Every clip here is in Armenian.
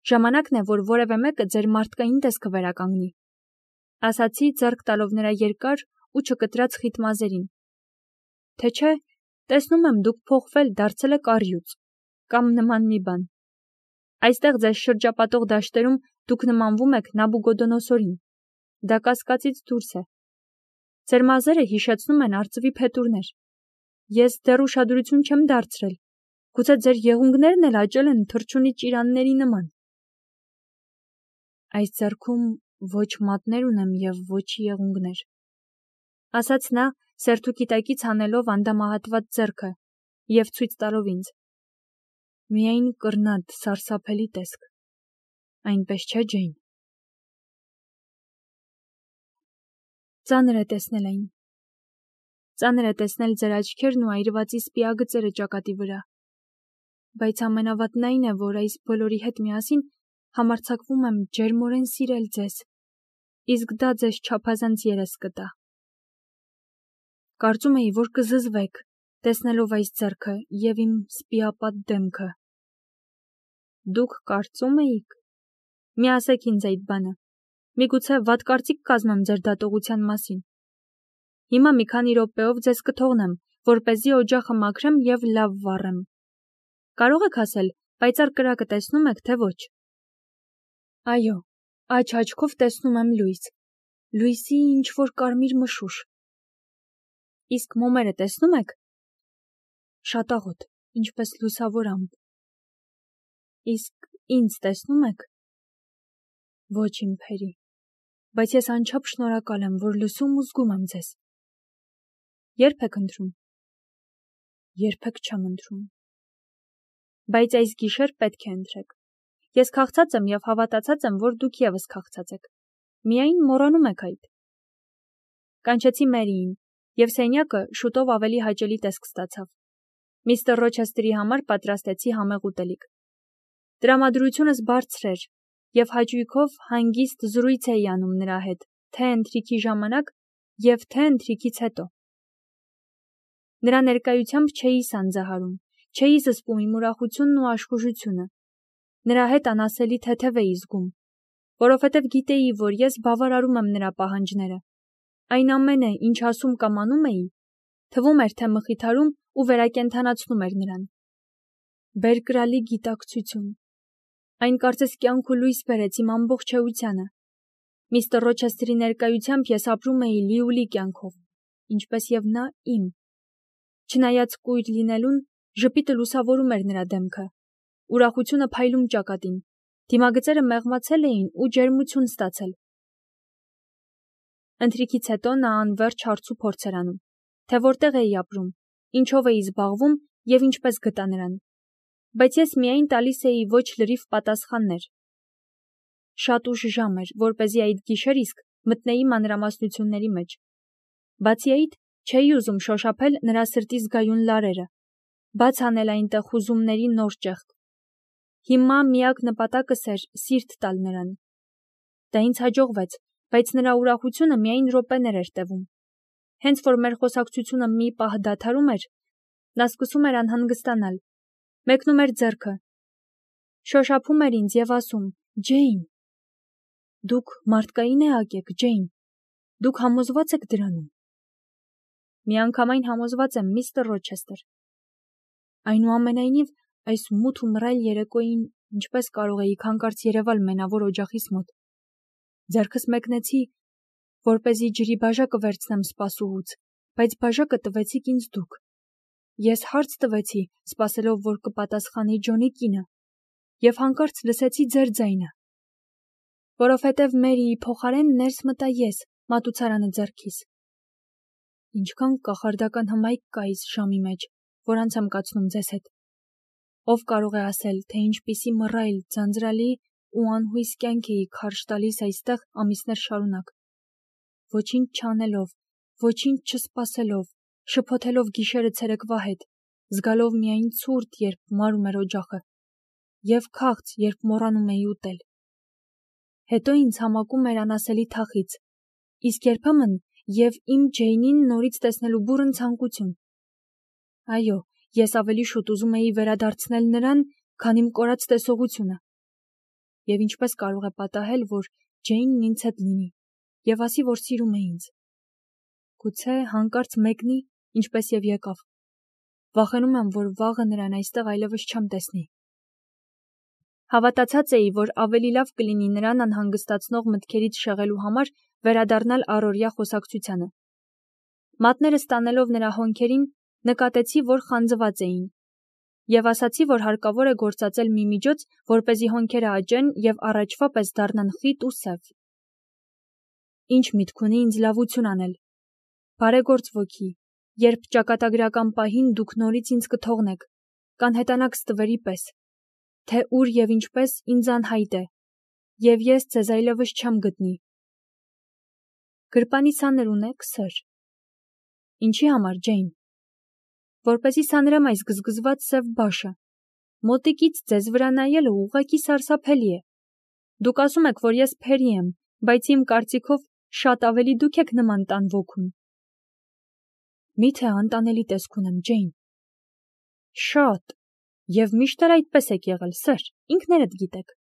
Ժամանակն է, որ որևէ մեկը ձեր մարդկային տեսքը վերականգնի, ասացի ձեռք տալով նրա երկար ու չկտրած խիտ մազերին, թե չէ, տեսնում եմ դուք փոխվել դարձել եք առյուծ, կամ նման մի բան, այստեղ ձեզ շրջապատող դաշտերում դուք նմանվում եք Նաբուգոդոնոսորին, դա կասկածից դուրս է, ձեր մազերը հիշեցնում են արծվի փետուրներ, ես դեռ ուշադրություն չեմ դարձրել, գուցե ձեր եղունգներն էլ աճել են թռչունի ճիրանների նման, այս ձեռքում ոչ մատներ ունեմ և ոչ եղունգներ, ասաց նա սերթուկիտակից հանելով անդամահատված ձեռքը և ցույց տալով ինձ, միայն կռնատ սարսափելի տեսք, այնպես չէ Ջեյն, ծանր է տեսնել այն, ծանր է տեսնել ձեր աչքերն ու այրվածի սպիագծերը ճակատի վրա, բայց ամենավատն այն է, որ այս բոլորի հետ միասին համարձակվում եմ ջերմորեն սիրել ձեզ, իսկ դա ձեզ չափազանց երես կտա։ Կարծում էի, որ կզզվեք, տեսնելով այս ձեռքը և իմ սպիապատ դեմքը։ Դուք կարծում էիք։ Մի ասեք ինձ այդ բանը։ Միգուցե վատ կարծիք կազմեմ ձեր դատողության մասին։ Հիմա մի քանի րոպեով ձեզ կթողնեմ, որպեսզի օջախը մաքրեմ և լավ վառեմ։ Կարող եք ասել, պայծառ կրակը տեսնում եք, թե ոչ։ Այո, աջ աչքով տեսնում եմ լույս։ Լույսի ինչ-որ կարմիր մշուշ։ Իսկ մոմերը տեսնում եք։ Շատաղոտ, ինչպես լուսավոր ամպ։ Իսկ ինձ տեսնում եք։ Ոչ իմ փերի, բայց ես անչափ շնորհակալ եմ, որ լսում ու զգում եմ ձեզ։ Երբ եք ընտրում։ Երբեք չեմ ընտրում։ Բայց այս գիշեր պետք է ընտրեք։ Ես քաղցած եմ և հավատացած եմ, որ դուք ևս քաղցած եք։ Միայն մոռանում եք այդ։ Կանչեցի Մերիին, և սենյակը շուտով ավելի հաճելի տեսք ստացավ։ Միստր Ռոչեսթերի համար պատրաստեցի համեղ ուտելիք։ Տրամադրությունս բարձր էր, և հաճույքով հանգիստ զրույց էի անում նրա հետ, թե ընթրիքի ժամանակ և թե ընթրիքից հետո։ Նրա ներկայությամբ չէի սանձահարում, չէի զսպում իմ ուրախությունն ու աշխուժությունը։ Նրա հետ անասելի թեթև էի զգում, որովհետև գիտեի, որ ես բավարարում եմ նրա պահանջները։ Այն ամենը, ինչ ասում կամ անում էի, թվում էր, թե մխիթարում ու վերակենդանացնում էր նրան։ Բերկրալի գիտակցություն։ Այն կարծես կյանք ու լույս բերեց իմ ամբողջ էությանը։ Միստր Ռոչեսթերի ներկայությամբ ես ապրում էի լիուլի կյանքով, ինչպես և նա իմ։ Չնայած կույր լինելուն, ժպիտը լուսավորում էր նրա դեմքը, ուրախությունը փայլում ճակատին, դիմագծերը մեղմացել էին ու ջերմություն ստացել։ Ընթրիքից հետո նա անվերջ հարց ու փորձ էր անում, թե որտեղ էի ապրում, ինչով էի զբաղվում և ինչպես գտա նրան։ Բայց ես միայն տալիս էի ոչ լրիվ պատասխաններ։ Շատ ուշ ժամ էր, որպեսզի այդ գիշեր իսկ մտնեի մանրամասնությունների մեջ։ Բացի այդ, չէի ուզում շոշափել նրա սրտի զգայուն լարերը, բաց անել այնտեղ հուզումների նոր ճեղք։ Հիմա միակ նպատակս էր սիրտ տալ նրան։ Դա ինձ հաջողվեց, բայց նրա ուրախությունը միայն րոպեներ էր տևում։ Հենց որ մեր խոսակցությունը մի պահ դադարում էր, նա սկսում էր անհանգստանալ, մեկնում էր ձեռքը, շոշափում էր ինձ և ասում. Ջեյն, դուք մարդկային էակ եք, Ջեյն, դուք համոզված եք դրանում։ Միանգամայն համոզված եմ, միստր Ռոչեսթեր։ Այնուամենայնիվ, այս մութ ու մռայլ երեկոյին ինչպես կարող էիք հանկարծ երևալ մենավոր օջախիս մոտ։ Ձեռքս մեկնեցի, որպեսզի ջրի բաժակը վերցնեմ սպասուհուց, բայց բաժակը տվեցիք ինձ դուք։ Ես հարց տվեցի, սպասելով, որ կպատասխանի Ջոնի կինը, և հանկարծ լսեցի ձեր ձայնը։ Որովհետև Մերիի փոխարեն ներս մտա ես, մատուցարանը ձեռքիս։ Ինչքան կախարդական հմայք կա այս ժամի մեջ, որ անց եմ կացնում ձեզ հետ։ Ով կարող է ասել, թե ինչպիսի մռայլ, ձանձրալի ու անհույս կյանք էի քարշ տալիս այստեղ ամիսներ շարունակ։ Ոչինչ չանելով, ոչինչ չսպասելով, շփոթելով գիշերը ցերեկվա հետ, զգալով միայն ցուրտ, երբ մարում էր օջախը, և քաղց, երբ մոռանում էի ուտել։ Հետո ինձ համակում էր անասելի թախիծ, իսկ երբեմն և իմ Ջեյնին նորից տեսնելու բուռն ցանկություն։ Այո, ես ավելի շուտ ուզում էի վերադարձնել նրան, քան իմ կորած տեսողությունը։ եւ ինչպես կարող է պատահել, որ Ջեյնն ինձ հետ լինի եւ ասի, որ սիրում է ինձ։ Գուցե հանկարծ մեկնի, ինչպես եւ եկավ։ Վախենում եմ, որ վաղը նրան այստեղ այլևս չեմ տեսնի։ Հավատացած էի, որ ավելի լավ կլինի նրան անհանգստացնող մտքերից շեղելու համար վերադառնալ առօրյա խոսակցությանը։ Մատները ստանելով նրա հոնքերին, նկատեցի, որ խանձված էին, եւ ասացի, որ հարկավոր է գործածել մի միջոց, որպեսզի հոնքերը աճեն եւ առաջվա պես դառնան խիտ ու սև։ Ինչ միտք ունի ինձ լավություն անել։ Բարեգործ ոգի, երբ ճակատագրական պահին դուք նորից ինձ կթողնեք, կանհետանաք ստվերի պես, թե ուր եւ ինչպես ինձ անհայտ է, եւ ես ձեզ այլևս չեմ գտնի։ Գրպանի սաներ ունեք, սըր։ Ինչի համար, Ջեյն։ Որպեսզի սանրեմ այս գզգզված սև բաշը։ Մոտիկից ձեզ վրա նայելը ուղղակի սարսափելի է։ Դուք ասում եք, որ ես փերի եմ, բայց իմ կարծիքով շատ ավելի դուք եք նման տան ոգուն։ Միթե անտանելի տեսք ունեմ, Ջեյն։ Շատ, եւ միշտ էլ այդպես եք եղել, սըր, ինքներդ գիտեք։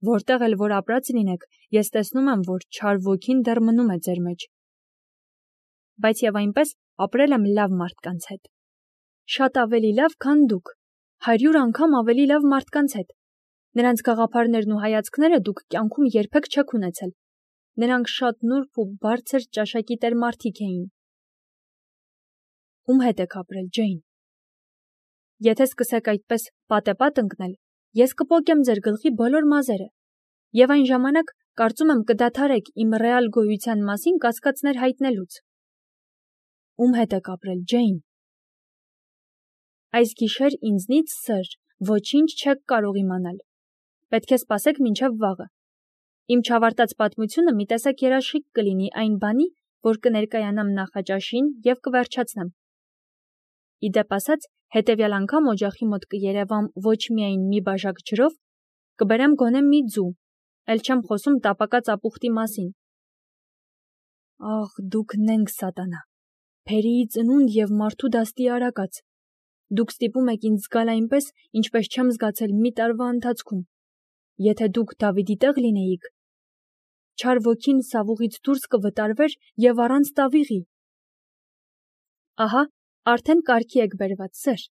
Որտեղ էլ որ ապրած լինեք, ես տեսնում եմ, որ չար ոգին դեռ մնում է ձեր մեջ։ Բայց եւ այնպես ապրել եմ լավ մարդկանց հետ։ Շատ ավելի լավ, քան դուք, 100 անգամ ավելի լավ մարդկանց հետ։ Նրանց գաղափարներն ու հայացքները դուք կյանքում երբեք չեք ունեցել։ Նրանք շատ նուրբ ու բարձր ճաշակի տեր մարդիկ էին։ Ում հետ եք ապրել, Ջեյն։ Եթե սկսեք այդպես պատեպատ ընկնել, ես կպոկեմ ձեր գլխի բոլոր մազերը, եւ այն ժամանակ կարծում եմ կդադարեք իմ ռեալ գոյության մասին կասկածներ հայտնելուց։ Ում հետ եք ապրել, Ջեյն։ Այս գիշեր ինձնից, սըր, ոչինչ չեք կարող իմանալ։ Պետք է սպասեք մինչև վաղը։ Իմ չավարտած պատմությունը մի տեսակ երաշխիք կլինի այն բանի, որ կներկայանամ նախաճաշին եւ կվերջացնեմ։ Իդեպ ասած, հետևյալ անգամ օջախի մոտ կերևամ ոչ միայն մի բաժակ ջրով, կբերեմ գոնե մի ձու, էլ չեմ խոսում տապակած ապուխտի մասին։ Աղ, դուք նենք սատանա, փերիի ծնունդ եւ մարդու դաստի արակած։ Դուք ստիպում եք ինձ զգալ այնպես, ինչպես չեմ զգացել մի տարվա ընթացքում։ Եթե դուք Դավիդի տեղ լինեիք, չար ոգին սավուղից դուրս կվտարվեր եւ առանց տավիղի։ Ահա, արդեն կարգի եք բերված, սըր,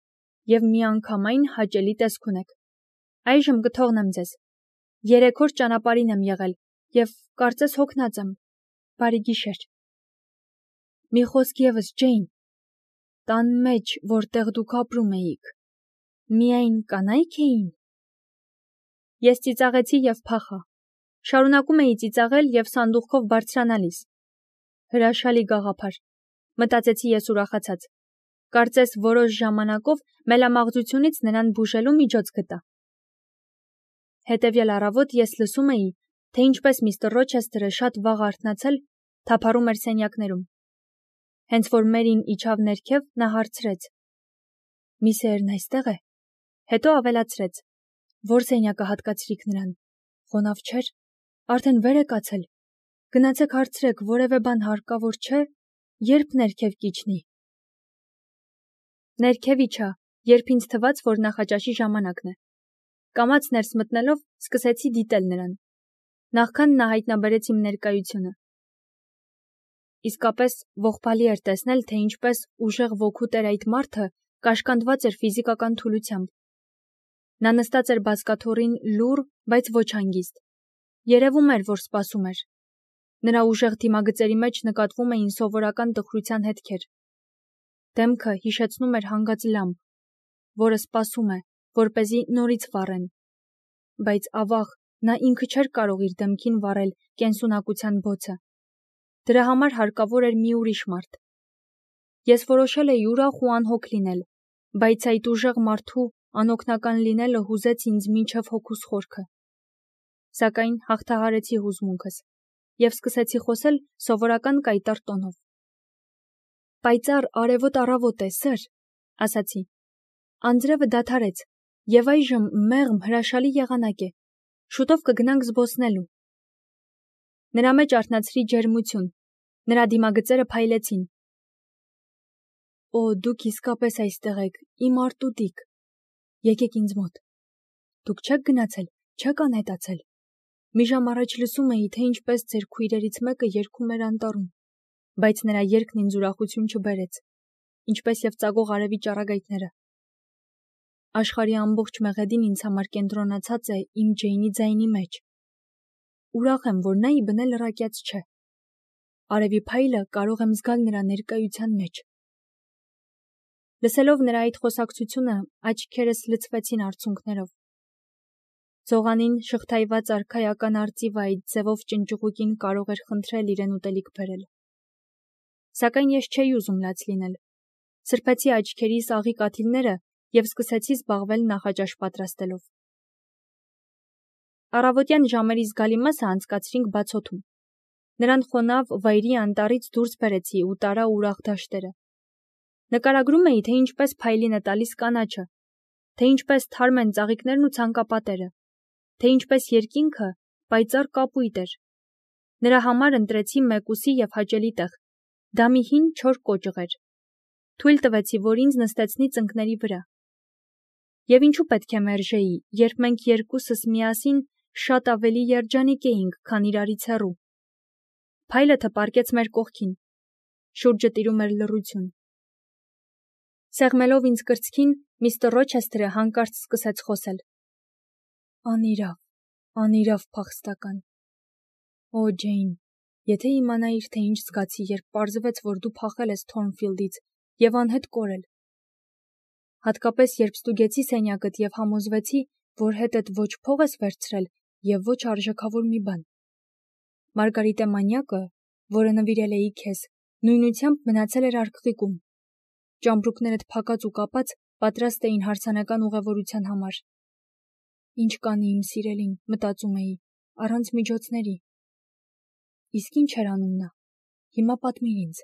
եւ միանգամայն հաճելի տեսք ունեք։ Այժմ կթողնեմ ձեզ։ 3 օր ճանապարհին եմ եղել եւ կարծես հոգնած եմ։ Բարի գիշեր։ Մի խոսք եւս, Ջեյն։ Տան մեջ, որտեղ դուք ապրում էիք, միայն կանայք էին։ Ես ծիծաղեցի եւ փախա։ Շարունակում էի ծիծաղել եւ սանդուղքով բարձրանալիս։ Հրաշալի գաղափար, մտածեցի ես ուրախացած։ Կարծես որոշ ժամանակով մելամաղձությունից նրան բուժելու միջոց գտա։ Հետևյալ առավոտ ես լսում էի, թե ինչպես միստր Ռոչեսթերը շատ վաղ արթնացել թափառում էր սենյակներում։ Հենց որ Մերին իջավ ներքև, նա հարցրեց. Միսերն այստեղ է։ Հետո ավելացրեց. Որ սենյակը հատկացրիք նրան։ Խոնավ չէր, արդեն վեր է կացել։ Գնացեք հարցրեք, որևէ բան հարկավոր չէ, երբ ներքև կիջնի։ Ներքև իջա, երբ ինձ թվաց, որ նախաճաշի ժամանակն է։ Կամաց ներս մտնելով սկսեցի դիտել նրան։ Նախքան նա հայտնաբերեց իմ ներկայությունը։ Իսկապես ողբալի էր տեսնել, թե ինչպես ուժեղ ոգու տեր այդ մարդը կաշկանդված էր ֆիզիկական թուլությամբ։ Նա նստած էր բազկաթոռին լուռ, բայց ոչ հանգիստ։ Երևում էր, որ սպասում էր։ Նրա ուժեղ դիմագծերի մեջ նկատվում էին սովորական տխրության հետքեր։ Դեմքը հիշեցնում էր հանգած լամբ, որը սպասում է, որպեսզի նորից վառեն։ Բայց ավաղ նա ինքը չէր կարող իր դեմքին վառել կենսունակության բոցը։ Դրա համար հարկավոր էր մի ուրիշ մարդ։ Ես որոշել էի ուրախ ու անհոգ լինել, բայց այդ ուժեղ մարդու անօգնական լինելը հուզեց ինձ մինչև հոգուս խորքը։ Սակայն հաղթահարեցի հուզմունքս եւ սկսեցի խոսել սովորական կայտառ տոնով։ Պայծառ արևոտ առավոտ է, սըր, ասացի։ Անձրևը դադարեց եւ այժմ մեղմ հրաշալի եղանակ է։ Շուտով կգնանք զբոսնելու։ Նրա մեջ արթնացրի ջերմություն, նրա դիմագծերը փայլեցին։ Օ, դուք իսկապես այստեղ եք, իմ արտուտիկ։ Եկեք ինձ մոտ։ Դուք չեք գնացել, չեք անհետացել։ Մի ժամ առաջ լսում էի, թե ինչպես ձեր քույրերից մեկը երգում էր անտառում, բայց նրա երգն ինձ ուրախություն չբերեց, ինչպես եւ ծագող արևի ճառագայթները։ Աշխարհի ամբողջ մեղեդին ինձ համար կենտրոնացած է իմ Ջեյնի ձայնի մեջ։ Ուրախ եմ, որ նա ի բնե լրակյաց չէ։ Արևի փայլը կարող եմ զգալ նրա ներկայության մեջ։ Լսելով նրա այդ խոսակցությունը, աչքերս լցվեցին արցունքներով։ Ծողանին շղթայված արքայական արծիվը այդ ձևով ճնճղուկին կարող էր խնդրել իրեն ուտելիք բերել։ Սակայն ես չէի ուզում լաց լինել։ Սրբեցի աչքերիս աղի կաթիլները եւ սկսեցի զբաղվել նախաճաշ պատրաստելով։ Առավոտյան ժամերի զգալի մասը անցկացրինք բացօթում։ Նրան խոնավ վայրի անտառից դուրս բերեցի ու տարա ուրախ դաշտերը։ Նկարագրում էի, թե ինչպես փայլին է տալիս կանաչը, թե ինչպես թարմ են ծաղիկներն ու ցանկապատերը, թե ինչպես երկինքը պայծառ կապույտ էր։ Նրա համար ընտրեցի մեկուսի եւ հաճելի տեղ։ Դա մի հին չոր կոճղ էր։ Թույլ տվեցի, որ ինձ նստեցնի ծնկների վրա։ Եվ ինչու պետք է մերժեի, երբ մենք երկուսս միասին շատ ավելի երջանիկ էինք, քան իրարից հեռու։ Փայլը թպարկեց մեր կողքին։ Շուրջը տիրում էր լռություն։ Սեղմելով ինձ կրծքին, միստր Ռոչեսթերը հանկարծ սկսեց խոսել։ Անիրավ փախստական։ Օ, Ջեյն, եթե իմանայիր, թե ինչ զգացի, երբ պարզվեց, որ դու փախել ես Թորնֆիլդից եւ անհետ կորել։ Հատկապես երբ ստուգեցի սենյակդ եւ համոզվեցի, որ հետդ ոչ փող ես վերցրել եւ ոչ արժեքավոր մի բան։ Մարգարիտե մանյակը, որը նվիրել էի քեզ, նույնությամբ մնացել էր արքղիկում։ Ճամպրուկներդ փակած ու կապած պատրաստ էին հարսանեկան ուղևորության համար։ Ինչ կանի իմ սիրելին, մտածում էի, առանց միջոցների։ Իսկ ինչ էր անում նա։ Հիմա պատմիր ինձ։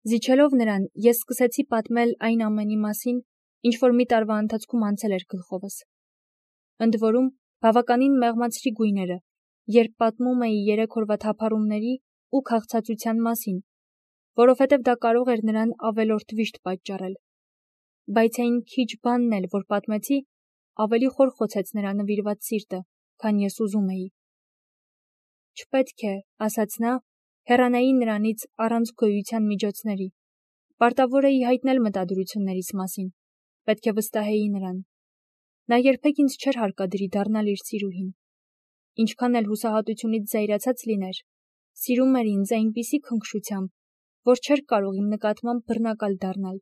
Զիջելով նրան, ես սկսեցի պատմել այն ամենի մասին, ինչ որ մի տարվա ընթացքում անցել էր գլխովս։ Ընդ որում, բավականին մեղմացրի գույները, երբ պատմում էի 3 օրվա թափառումների ու քաղցածության մասին, որովհետև դա կարող էր նրան ավելորդ վիշտ պատճառել։ Բայց այն քիչ բանն էլ, որ պատմեցի, ավելի խորխոցեց նրա նվիրված սիրտը, քան ես ուզում էի։ Չպետք է, ասաց նա, հեռանայի նրանից առանց գոյության միջոցների։ Պարտավոր էի հայտնել մտադրություններիս մասին, պետք է վստահեի նրան։ Նա երբեք ինձ չէր հարկադրի դառնալ իր սիրուհին։ Ինչքան էլ հուսահատությունից զայրացած լիներ, սիրում էր ինձ այնպիսի քնքշությամբ, որ չէր կարող իմ նկատմամբ բռնակալ դառնալ։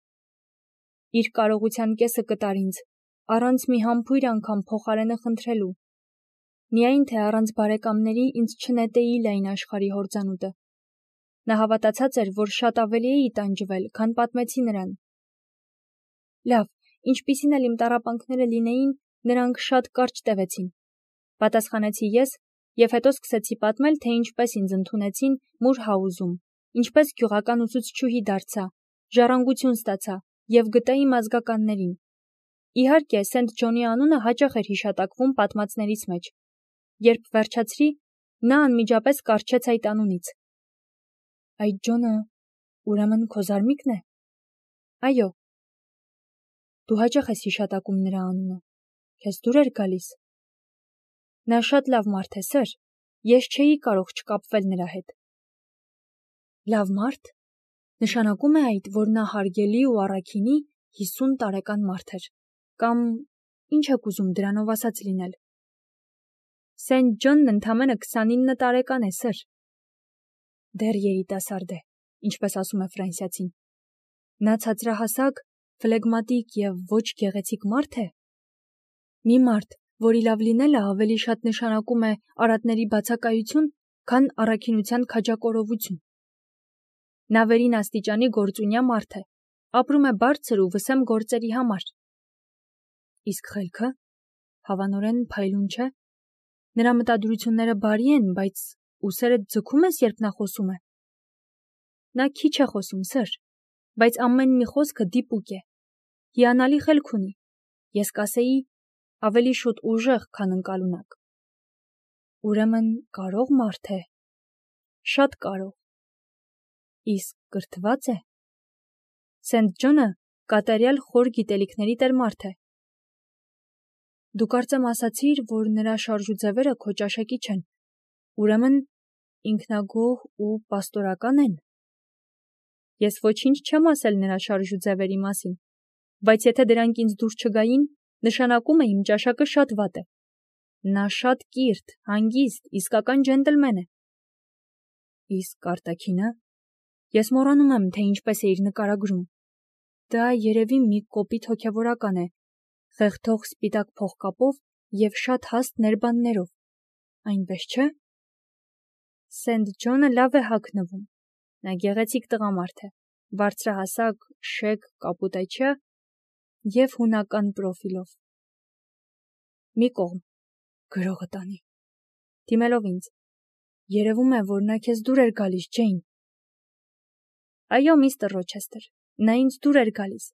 Իր կարողության կեսը կտար ինձ, առանց մի համբույր անգամ փոխարենը խնդրելու։ Միայն թե առանց բարեկամների ինձ չնետեի լայն աշխարհի հորձանուտը։ Նա հավատացած էր, որ շատ ավելի էի տանջվել, քան պատմեցի նրան։ Լավ, ինչպիսին էլ իմ տառապանքները լինեին, նրանք շատ կարճ տևեցին։ Պատասխանեցի ես եւ հետո սկսեցի պատմել, թե ինչպես ինձ ընդունեցին Մուրհաուզում, ինչպես գյուղական ուսուցչուհի դարձա, ժառանգություն ստացա եւ գտա իմ ազգականներին։ Իհարկե, Սենթ Ջոնի անունը հաճախ էր հիշատակվում պատմածներից մեջ։ Երբ վերջացրի, նա անմիջապես կառչեց այդ անունից։ Այդ Ջոնը, ուրեմն քո զարմիկն է։ Այո։ Դու հաճախ ես հիշատակում նրա անունը։ Քեզ դուր էր գալիս։ Նա շատ լավ մարդ է, սըր։ Ես չէի կարող չկապվել նրա հետ։ Լավ մարդ։ Նշանակում է այդ, որ նա հարգելի ու առաքինի 50 տարեկան մարդ էր։ Կամ ինչ եք ուզում դրանով ասած լինել։ Սենթ Ջոնն ընդամենը 29 տարեկան է, սըր։ Դեռ երիտասարդ է, ինչպես ասում է ֆրանսիացին։ Նա ցածրահասակ, ֆլեգմատիկ եւ ոչ գեղեցիկ մարդ է։ Մի մարդ, որի լավ լինելը ավելի շատ նշանակում է արատների բացակայություն, քան առաքինության քաջակորովություն։ Նա վերին աստիճանի գործունյա մարդ է, ապրում է բարձր ու վսեմ գործերի համար։ Իսկ խելքը, հավանորեն փայլուն չէ։ Նրա մտադրությունները բարի են, բայց ուսերդ ձգում ես, երբ նա խոսում է։ Նա քիչ է խոսում, սըր, բայց ամեն մի խոսքը դիպուկ է։ Հիանալի խելք ունի։ Ես կասեի, ավելի շուտ ուժեղ, քան ընկալունակ։ Ուրեմն կարող մարդ է։ Շատ կարող։ Իսկ կրթված է։ Սենթ Ջոնը կատարյալ խոր գիտելիքների տեր մարդ է։ Դու կարծեմ ասացիր, որ նրա շարժուձևերը քո ճաշակի չեն, ուրեմն ինքնագոհ ու պաստորական են։ Ես ոչինչ չեմ ասել նրա շարժուձևերի մասին, բայց եթե դրանք ինձ դուր չգային, նշանակում է իմ ճաշակը շատ վատ է։ Նա շատ կիրթ, հանգիստ, իսկական ջենտլմեն է։ Իսկ արտաքինը։ Ես մոռանում եմ, թե ինչպես է իր նկարագրում։ Դա երևի մի կոպիտ հոգևորական է, խեղդող սպիտակ փողկապով և շատ հաստ ներբաններով։ Այնպես չէ՞։ Սենթ Ջոնը լավ է հագնվում։ Նա գեղեցիկ տղամարդ է, բարձրահասակ, շեկ, կապուտաչյա և հունական պրոֆիլով։ Մի կողմ, գրողը տանի։ Դիմելով ինձ, երևում է, որ նա քեզ դուր էր գալիս, Ջեյն։ Այո, միստր Ռոչեսթեր, նա ինձ դուր էր գալիս,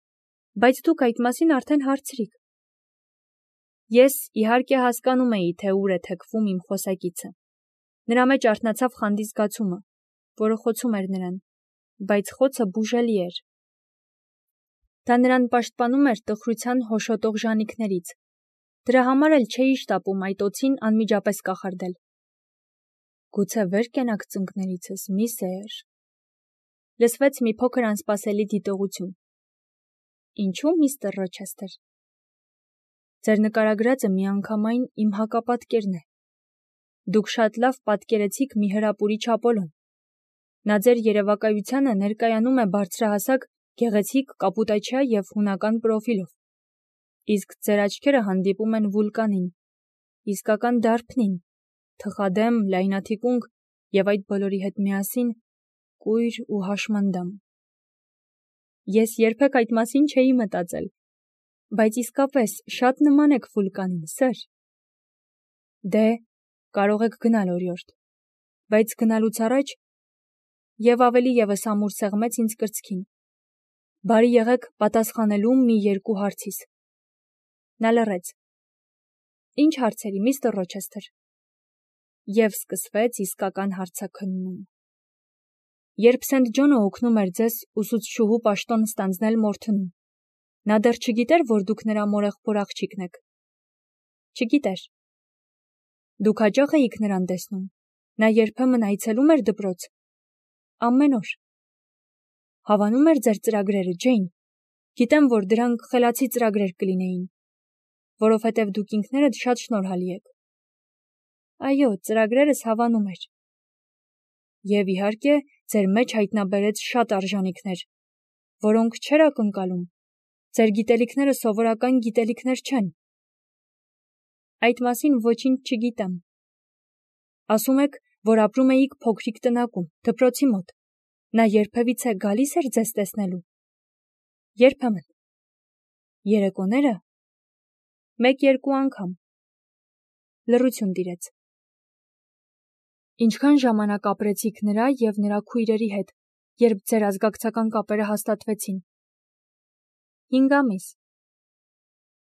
բայց դուք այդ մասին արդեն հարցրիք։ Ես իհարկե հասկանում էի, թե ուր է թեքվում իմ խոսակիցը։ Նրա մեջ արթնացավ խանդի զգացումը, որը խոցում էր նրան, բայց խոցը բուժելի էր։ Դա նրան պաշտպանում էր տխրության հոշոտող ժանիքներից։ Դրա համար էլ չէի շտապում այդ օձին անմիջապես կախարդել։ Գուցե վեր կենաք ծնկներիցս, միսեր։ Լսվեց մի փոքր անսպասելի դիտողություն։ Ինչու, միստր Ռոչեսթեր։ Ձեր նկարագրածը միանգամայն իմ հակապատկերն է։ Դուք շատ լավ պատկերեցիք մի հրապուրիչ Ապոլոն։ Նա ձեր երևակայությանը ներկայանում է բարձրահասակ, գեղեցիկ, կապուտաչյա և հունական պրոֆիլով։ Իսկ ձեր աչքերը հանդիպում են վուլկանին, իսկական դարբնին, թխադեմ, լայնաթիկունք և այդ բոլորի հետ միասին կույր ու հաշմանդամ։ Ես երբեք այդ մասին չէի մտածել, բայց իսկապես շատ նման եք վուլկանին, սըր։ Դե, կարող եք գնալ օրիորդ, բայց գնալուց առաջ և ավելի ևս ամուր սեղմեց ինձ կրծքին։ Բարի եղեք պատասխանելու մի երկու հարցիս։ Նա լռեց։ Ինչ հարցերի, միստր Ռոչեսթեր։ Եվ սկսվեց իսկական հարցաքննում։ Երբ Սենթ Ջոնը օգնում էր ձեզ ուսուցչուհու պաշտոն ստանձնել Մորթնում, նա դեռ չգիտեր, որ դուք նրա մորեղբոր աղջիկն եք։ Չգիտեր։ Դուք հաճախ էիք նրան տեսնում։ Նա երբեմն այցելում էր դպրոց։ Ամեն օր։ Հավանում էր ձեր ծրագրերը, Ջեյն։ Գիտեմ, որ դրանք խելացի ծրագրեր կլինեին, որովհետև դուք ինքներդ շատ շնորհալի եք։ Այո, ծրագրերս հավանում էր։ Եվ իհարկե, ձեր մեջ հայտնաբերեց շատ արժանիքներ, որոնք չէր ակնկալում։ Ձեր գիտելիքները սովորական գիտելիքներ չեն։ Այդ մասին ոչինչ չգիտեմ։ Ասում եք, որ ապրում էիք փոքրիկ տնակում, դպրոցի մոտ։ Նա երբևիցե գալիս էր ձեզ տեսնելու։ Երբեմն։ Երեկոները։ Մեկ-երկու անգամ։ Լռություն տիրեց։ Ինչքան ժամանակ ապրեցիք նրա և նրա քույրերի հետ, երբ ձեր ազգակցական կապերը հաստատվեցին։ 5 ամիս։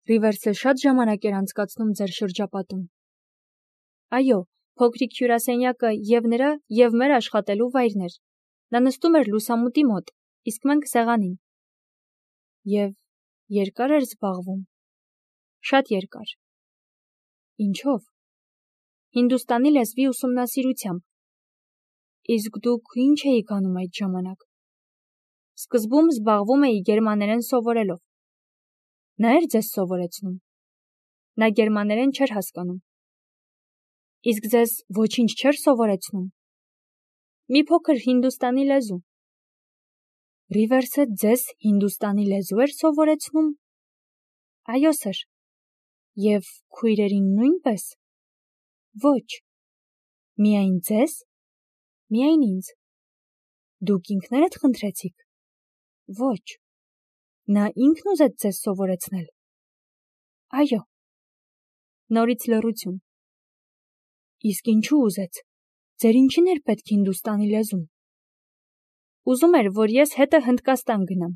Ռիվերսը շատ ժամանակ էր անցկացնում ձեր շրջապատում։ Այո, փոքրիկ հյուրասենյակը և նրա, և մեր աշխատելու վայրն էր։ Նա նստում էր լուսամուտի մոտ, իսկ մենք սեղանին։ Եվ երկար էր զբաղվում։ Շատ երկար։ Ինչով։ Հինդուստանի լեզվի ուսումնասիրությամբ։ Իսկ դուք ինչ էիք անում այդ ժամանակ։ Սկզբում զբաղվում էի գերմաներեն սովորելով։ Նա էր ձեզ սովորեցնում։ Նա գերմաներեն չէր հասկանում։ Իսկ ձեզ ոչինչ չէր սովորեցնում։ Մի փոքր հինդուստանի լեզու։ Ռիվերսը ձեզ հինդուստանի լեզու էր սովորեցնում։ Այո, սըր։ Եվ քույրերին նույնպես։ Ոչ։ Միայն ձեզ։ Միայն ինձ։ Դուք ինքներդ խնդրեցիք։ Ոչ։ Նա ինքն ուզեց ձեզ սովորեցնել։ Այո։ Նորից լռություն։ Իսկ ինչու ուզեց։ Ձեր ինչին էր պետք հինդուստանի լեզուն։ Ուզում էր, որ ես հետը Հնդկաստան գնամ։